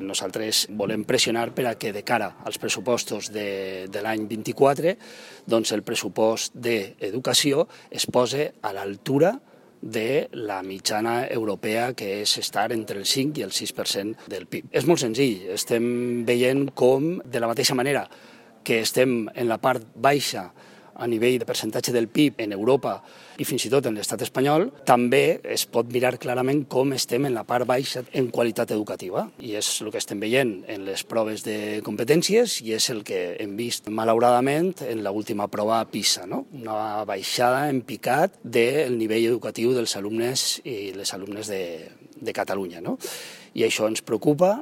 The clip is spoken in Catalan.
Nosaltres volem pressionar per a que de cara als pressupostos de l'any 24 doncs el pressupost d'educació es pose a l'altura de la mitjana europea, que és estar entre el 5 i el 6% del PIB. És molt senzill, estem veient com, de la mateixa manera que estem en la part baixa a nivell de percentatge del PIB en Europa i fins i tot en l'estat espanyol, també es pot mirar clarament com estem en la part baixa en qualitat educativa. I és el que estem veient en les proves de competències i és el que hem vist, malauradament, en l'última prova PISA, no? Una baixada en picat del nivell educatiu dels alumnes i les alumnes de Catalunya, no? I això ens preocupa.